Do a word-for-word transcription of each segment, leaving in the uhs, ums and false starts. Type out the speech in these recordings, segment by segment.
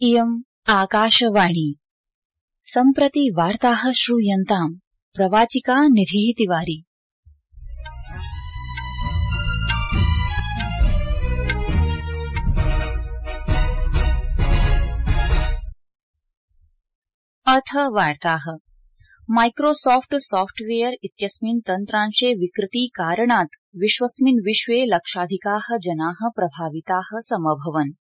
इयम् आकाशवाणी। सम्प्रति वार्ताः श्रूयन्ताम्। प्रवाचिका निधिः तिवारी। अथ वार्ताः। माइक्रोसॉफ्ट सॉफ्टवेयर इत्यस्मिन् तन्त्रांशे विकृति कारणात् विश्वस्मिन् विश्वे लक्षाधिकाः जनाः प्रभाविताः समभवन्।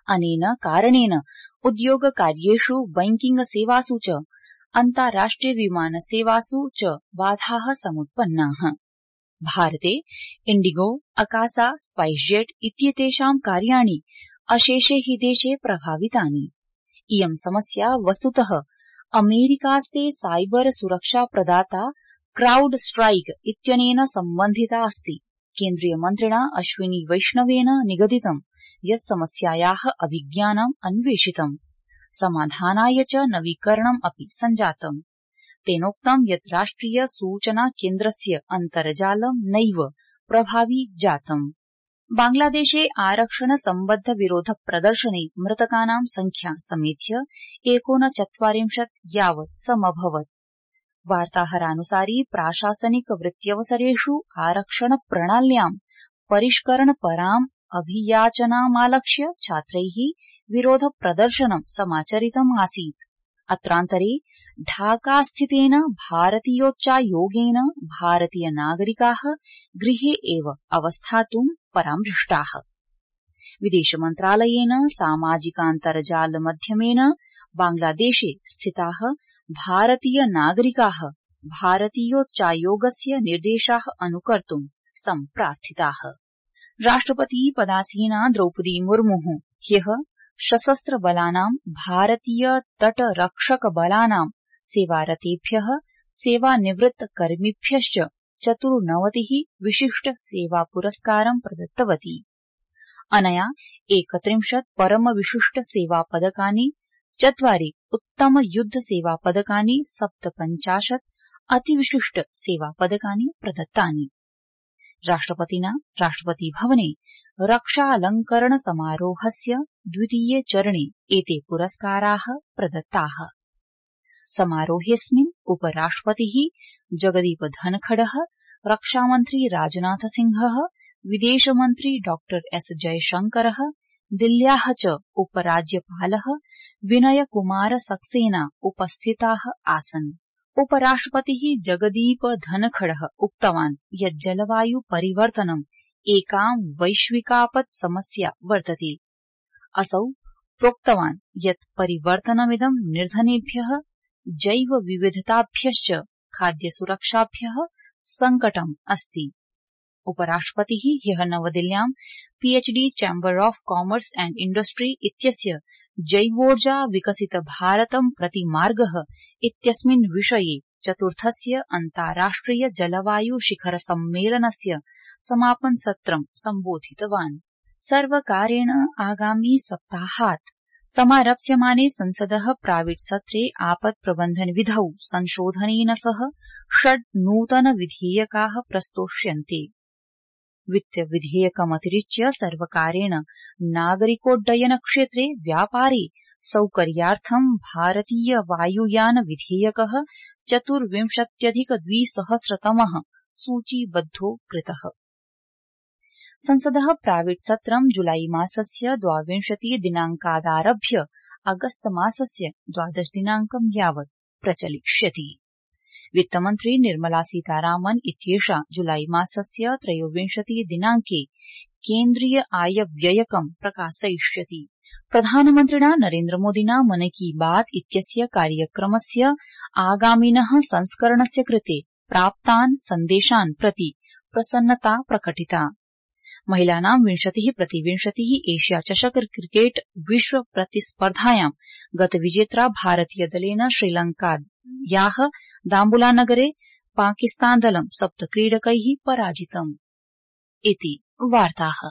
अनेन कारणेन उद्योगकार्येषु बैंकिंग सेवासु च अन्ताराष्ट्रिय विमानसेवासु च बाधाः समुत्पन्नाः। भारते इंडिगो, अकासा, स्पाइसजेट इत्येतेषां कार्याणि अशेषे हि देशे प्रभावितानि। इयं समस्या वस्तुतः अमेरिकास्ते साइबर सुरक्षा प्रदाता क्राउड स्ट्राइक इत्यनेन सम्बन्धिता अस्ति। केन्द्रीय मन्त्रिणा अश्विनी वैष्णवेन निगदितं यत् समस्यायाः अभिज्ञानम् अन्वेषितम्, समाधानाय च नवीकरणम् अपि सञ्जातम्। तेनोक्तं यत् राष्ट्रिय सूचना केन्द्रस्य अन्तर्जालं नैव प्रभावी जातम्। बांग्लादेशे आरक्षण सम्बद्ध विरोध प्रदर्शने मृतकानां संख्या समेध्य एकोनचत्वारिंशत् यावत् समभवत्। वार्ताहरानुसारि प्राशासनिक वृत्त्यवसरेषु आरक्षण प्रणाल्यां परिष्करणपराम् अभियाचनामालक्ष्य छात्रैः विरोध प्रदर्शनं समाचरितम् आसीत्। अत्रान्तरे ढाकास्थितेन भारतीयोच्चायोगेन भारतीय नागरिकाः गृहे एव अवस्थातुं परामृष्टाः। विदेश मन्त्रालयेन सामाजिकान्तर्जालमाध्यमेन बांग्लादेशे स्थिताः भारतीय नागरिकाः भारतीयोच्चायोगस्य निर्देशाः अनुकर्तुं सम्प्रार्थिताः। राष्ट्रपति पदासीना द्रौपदी मुर्मुः ह्यः सशस्त्र बलानां भारतीय तटरक्षक बलानां सेवारतेभ्यः सेवानिवृत्त कर्मिभ्यश्च चतुर्नवतिः विशिष्ट सेवा पुरस्कारं प्रदत्तवती। अनया एकत्रिंशत् परम विशिष्ट सेवा पदकानि, चत्वारि उत्तम युद्ध सेवा पदकानि, सप्तपञ्चाशत् अतिविशिष्ट सेवा पदकानि प्रदत्तानि। राष्ट्रपतिना राष्ट्रपति भवने रक्षालंकरण समारोहस्य द्वितीये चरणे एते पुरस्काराः प्रदत्ताः। समारोहेऽस्मिन् उपराष्ट्रपतिः जगदीप धनखडः, रक्षामन्त्री राजनाथ सिंहः, विदेशमन्त्री डॉक्टर एस जयशंकरः, दिल्ल्याः च उपराज्यपालः विनय कुमार सक्सेना उपस्थिताः आसन्। उपराष्ट्रपतिः जगदीप धनखडः उक्तवान् यत् जलवायु परिवर्तनम् एकां वैश्विकापत् समस्या वर्तते। असौ प्रोक्तवान् यत् परिवर्तनमिदं निर्धनेभ्यः, जैव विविधताभ्यश्च खाद्यसुरक्षाभ्यः सङ्कटम् अस्ति। उपराष्ट्रपतिः ह्यः नवदिल्ल्यां PhD chamber of commerce and industry इत्यस्य जैवोर्जा विकसित भारतं प्रति मार्गः इत्यस्मिन् विषये चतुर्थस्य अन्ताराष्ट्रिय जलवायु शिखर सम्मेलनस्य समापन सत्रं सम्बोधितवान्। सर्वकारेण आगामी सप्ताहात् समारप्स्यमाने संसदः प्राविट् सत्रे आपत् प्रबन्धन विधौ संशोधनेन सह षड् नूतन विधेयकाः प्रस्तोष्यन्ते। वित्त विधेयकमतिरिच्य सर्वकारेण नागरिकोड्डयन क्षेत्रे व्यापारे सौकर्यार्थं भारतीय वायुयान विधेयकः चतुर्विंशत्यधिक द्विसहस्रतमः सूचीबद्धो कृतः। संसदः प्राविट् सत्रं जुलाई मासस्य द्वाविंशति दिनाङ्कादारभ्य अगस्त मासस्य द्वादश दिनाङ्कं यावत् प्रचलिष्यति। वित्तमन्त्री निर्मला सीतारामन् इत्येषा जुलाई मासस्य त्रयोविंशति दिनाङ्के केन्द्रीय आय व्ययकं प्रकाशयिष्यति। प्रधानमन्त्रिणा नरेन्द्रमोदिना मन की बात इत्यस्य कार्यक्रमस्य आगामिनः संस्करणस्य कृते प्राप्तान् सन्देशान् प्रति प्रसन्नता प्रकटिता। महिलानां विंशतिः प्रतिविंशतिः एशिया चषक क्रिकेट विश्व प्रतिस्पर्धायां गतविजेत्रा भारतीयदलेन श्रीलङ्कायाः दाम्बुलानगरे पाकिस्तानदलं सप्तक्रीडकैः पराजितम्। इति वार्ताः।